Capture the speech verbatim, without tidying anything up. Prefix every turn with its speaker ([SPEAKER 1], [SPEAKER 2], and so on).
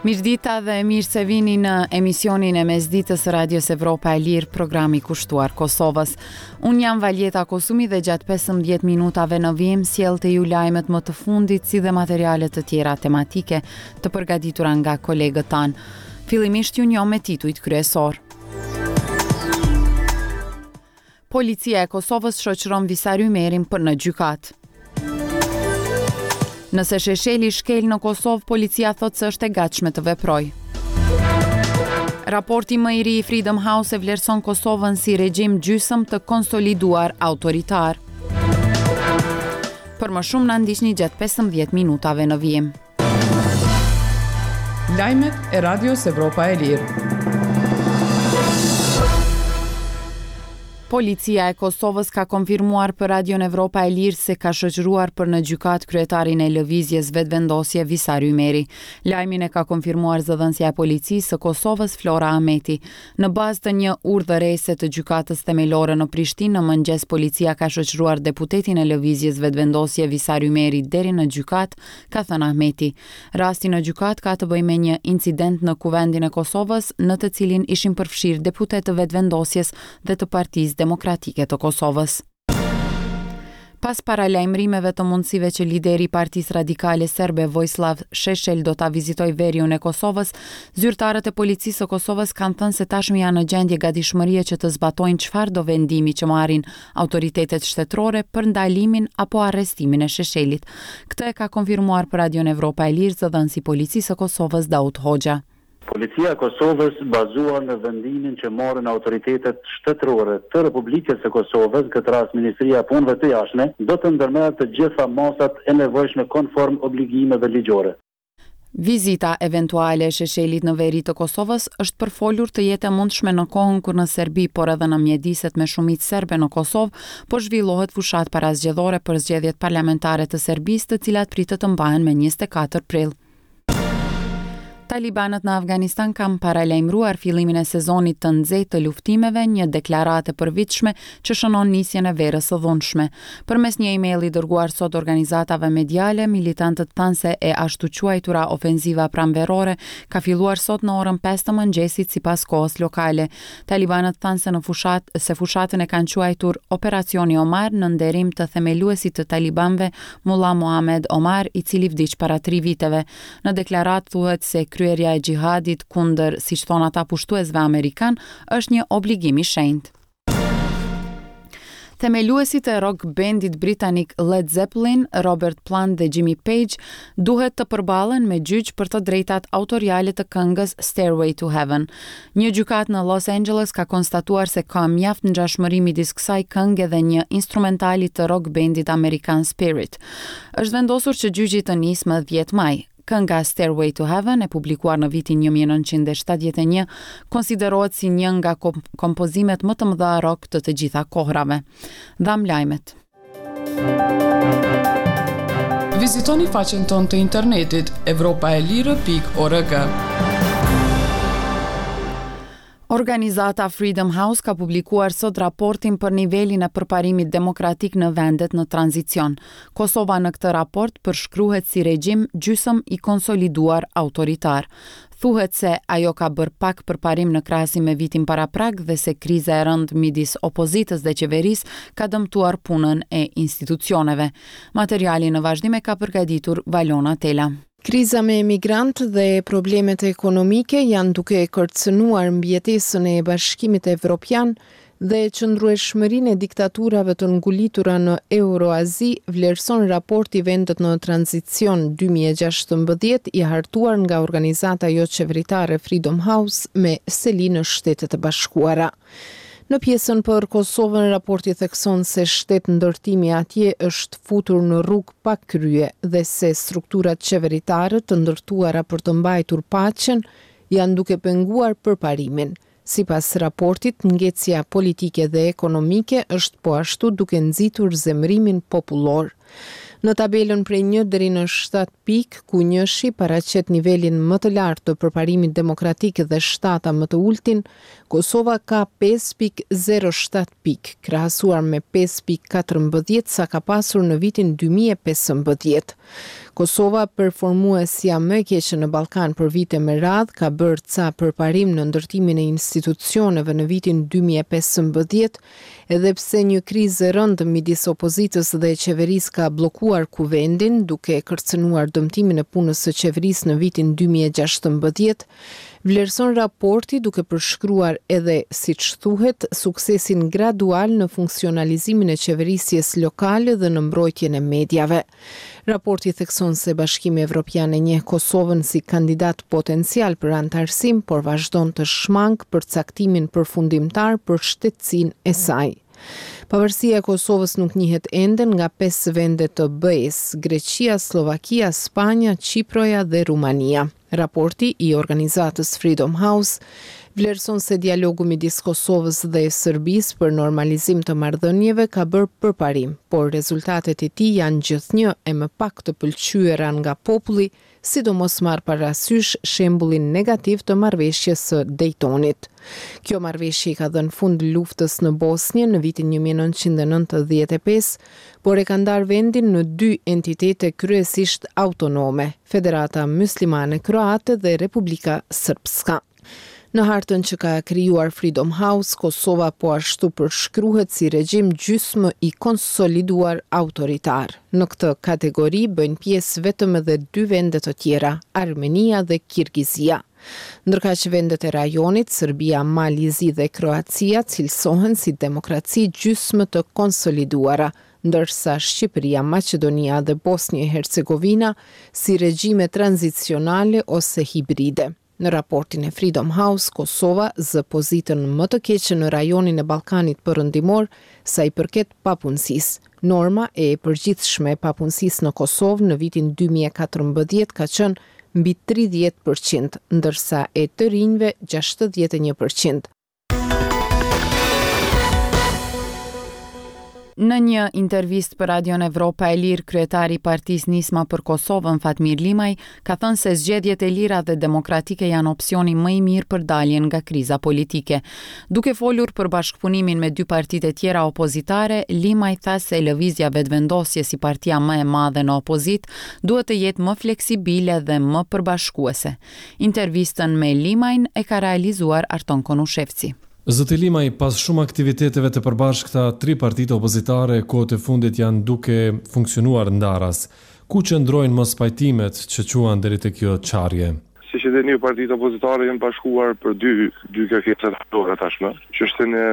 [SPEAKER 1] Mirëdita dhe mirë se vini në emisionin e mesditës së Radios Evropa e Lirë, programi kushtuar Kosovës. Unë jam Valjeta Kosumi dhe gjatë pesëmbëdhjetë minutave në vijim sjell te ju lajmet më të fundit si dhe materiale të tjera tematike të përgatitura nga kolegët tanë. Fillimisht ju njoh me titujt kryesor. Policia e Kosovës shoqëron Visar Ymerin për në gjykatë. Nëse Shesheli shkel në Kosovë, policia thotë se është e gatshme të veprojë. Raporti më i ri i Freedom House e vlerëson Kosovën si regjim gjysëm të konsoliduar autoritar. Për më shumë na ndiqni gjatë pesëmbëdhjetë minutave në vijim.
[SPEAKER 2] Lajmet e Radios Evropa e Lirë.
[SPEAKER 1] Policia e Kosovës ka konfirmuar për Radion Evropa e Lirë se ka shoqëruar për në gjykatë kryetarin e Lëvizjes Vetëvendosje Visar Ymeri. Lajmin e ka konfirmuar zëdhënësja e Policisë së Kosovës Flora Ahmeti. Në bazë të një urdhërese të Gjykatës Themelore në Prishtinë, në mëngjes policia ka shoqëruar deputetin e Lëvizjes Vetëvendosje Visar Ymeri deri në gjykatë, ka thënë Ahmeti. Rasti në gjykatë ka të bëjë me një incident në Kuvendin e Kosovës, në të cilin ishin përfshirë deputetë të Vetëvendosjes dhe të Partisë Demokratike të Kosovës. Pas paralajmërimeve të mundësive që lideri i Partisë Radikale Serbe Vojislav Sheshel do ta vizitojë veriun e Kosovës, zyrtarët e Policisë së Kosovës kanë thënë se tashmë janë në gjendje gatishmërie që të zbatojnë çfarëdo vendimi që marrin autoritetet shtetërore për ndalimin apo arrestimin e Sheshelit. Këtë e ka konfirmuar për Radion Evropa e Lirë zëdhënësi i Policisë së Kosovës Daut Hoxha.
[SPEAKER 3] Policia e Kosovës, bazuar në vendimin që marrin autoritetet shtetërore të Republikës së Kosovës, në këtë rast Ministria e Punëve të Jashtme, do të ndërmerr të gjitha masat e nevojshme konform obligimeve ligjore.
[SPEAKER 1] Vizita eventuale e Sheshelit në veri të Kosovës është përfolur të jetë e mundshme në kohën kur në Serbi, por edhe në mjediset me shumicë serbe në Kosovë, po zhvillohet fushatë parazgjedhore për zgjedhjet parlamentare të Serbisë, të cilat pritet të mbahen me njëzet e katër prill. Talibanët në Afganistan kanë paralajmëruar fillimin e sezonit të nxehtë të luftimeve, një deklaratë e përvitshme që shënon nisjen e verës së dhunshme. Përmes një emaili dërguar sot organizatave mediale, militantët thanë se e ashtuquajtura ofenziva pranverore ka filluar sot në orën pesë të mëngjesit sipas kohës lokale. Talibanët thanë se në fushat, se fushatën e kanë quajtur Operacioni Omar në nderim të themeluesit të talibanëve Mullah Mohammed Omar, i cili vdiq para tri viteve. Në deklaratë thuhet se kryerja e xhihadit kundër, siç thon ata pushtuesve amerikan, është një obligim i shenjtë. Themeluesit e rock bandit britanik Led Zeppelin, Robert Plant dhe Jimmy Page duhet të përballen me gjyq për të drejtat autoriale të këngës Stairway to Heaven. Një gjykatë në Los Angeles ka konstatuar se ka mjaft ngjashmëri midis kësaj kënge dhe një instrumentali të rock bandit amerikan Spirit. Është vendosur që gjyqi të nisë më dhjetë maj. Kënga Stairway to Heaven, e publikuar në vitin një mijë e nëntëqind e shtatëdhjetë e një, konsiderohet si një nga kom-, kompozimet më të mëdha rock të të gjitha kohrave. Dham lajmet.
[SPEAKER 2] Vizitoni faqen tonë të internetit evropa e lirë pikë org.
[SPEAKER 1] Organizata Freedom House ka publikuar sot raportin për nivelin e përparimit demokratik në vendet në tranzicion. Kosova në këtë raport përshkruhet si regjim gjysëm i konsoliduar autoritar. Thuhet se ajo ka bërë pak përparim në krahasim me vitin paraprak dhe se kriza e rëndë midis opozitës dhe qeverisë ka dëmtuar punën e institucioneve. Materialin në vazhdim e ka përgatitur Valona Tela.
[SPEAKER 4] Kriza me emigrant dhe problemet ekonomike janë duke kërcënuar mbijetesën e Bashkimit Evropian dhe qëndrueshmërinë e diktaturave të ngulitura në Euroazi, vlerëson raporti Vendet në tranzicion dy mijë e gjashtëmbëdhjetë i hartuar nga organizata joqeveritare Freedom House me seli në Shtetet e Bashkuara. Në pjesën për Kosovën, raporti thekson se shtet ndërtimi atje është futur në rrugë pa krye dhe se strukturat qeveritare të ndërtuara për të mbajtur paqen janë duke penguar përparimin. Sipas raportit, ngecja politike dhe ekonomike është po ashtu duke nxitur zemërimin popullor. Në tabelën prej një deri në shtatë pikë, ku njëshi paraqet nivelin më të lartë të përparimit demokratik dhe shtata më të ultin, Kosova ka pesë pikë zero shtatë pikë, krahasuar me pesë pikë katërmbëdhjetë sa ka pasur në vitin dy mijë e pesëmbëdhjetë. Kosova, performuesja më e keqe në Ballkan për vite me radhë, ka bërë ca përparim në ndërtimin e institucioneve në vitin dy mijë e pesëmbëdhjetë, edhe pse një krizë e rëndë midis opozitës dhe qeverisë ka bllokuar kuvendin, duke kërcënuar dëmtimin e punës së qeverisë në vitin dy mijë e gjashtëmbëdhjetë, vlerëson raporti duke përshkruar edhe, siç thuhet, suksesin gradual në funksionalizimin e qeverisjes lokale dhe në mbrojtjen e mediave. Raporti thekson se Bashkimi Evropian e njeh Kosovën si kandidat potencial për anëtarësim, por vazhdon të shmang përcaktimin përfundimtar për shtetësinë e saj. Pavarësia e Kosovës nuk njihet ende nga pesë vende të B E-s, Greqia, Sllovakia, Spanja, Qiproja dhe Rumania. Raporti i organizatës Freedom House vlerëson se dialogu midis Kosovës dhe Serbisë për normalizim të marrëdhënieve ka bërë përparim, por rezultatet e tij janë gjithnjë e më pak të pëlqyera nga populli, sidomos marr parasysh shembullin negativ të marrëveshjes së Daytonit. Kjo marrëveshje i ka dhënë fund luftës në Bosnjë në vitin një mijë e nëntëqind e nëntëdhjetë e pesë, por e ka ndarë vendin në dy entitete kryesisht autonome, Federata Muslimane Kroate dhe Republika Srpska. Në hartën që ka krijuar Freedom House, Kosova po ashtu përshkruhet si regjim gjysmë i konsoliduar autoritar. Në këtë kategori bëjnë pjesë vetëm edhe dy vende të tjera, Armenia dhe Kirgizia. Ndërkaq vendet e rajonit, Serbia, Mali i Zi dhe Kroacia cilësohen si demokraci gjysmë të konsoliduara, ndërsa Shqipëria, Maqedonia dhe Bosnjë e Hercegovina si regjime tranzicionale ose hibride. Në raportin e Freedom House, Kosova zë pozitën më të keqe në rajonin e Ballkanit Perëndimor sa i përket papunësisë. Norma e përgjithshme e papunësisë në Kosovë në vitin dy mijë e katërmbëdhjetë ka qenë mbi tridhjetë përqind, ndërsa e të rinjve gjashtëdhjetë e një përqind.
[SPEAKER 1] Në një intervistë për Radion Evropa e Lirë, kryetari i partisë Nisma për Kosovën, Fatmir Limaj, ka thënë se zgjedhjet e lira dhe demokratike janë opsioni më i mirë për daljen nga kriza politike. Duke folur për bashkëpunimin me dy partitë e tjera opozitare, Limaj tha se lëvizja Vetëvendosje si partia më e madhe në opozitë duhet të jetë më fleksibile dhe më përbashkuese. Intervistën me Limajn e ka realizuar Arton Konushevci.
[SPEAKER 5] Zoti Limaj, pas shumë aktiviteteve të përbashkëta, tri partitë opozitare kohët e fundit janë duke funksionuar ndaras. Ku qëndrojnë mospajtimet që quan deri te kjo çarje?
[SPEAKER 6] Siç e dini, partitë opozitare janë bashkuar për dy, dy kërkesa themelore tashmë. Çështjen e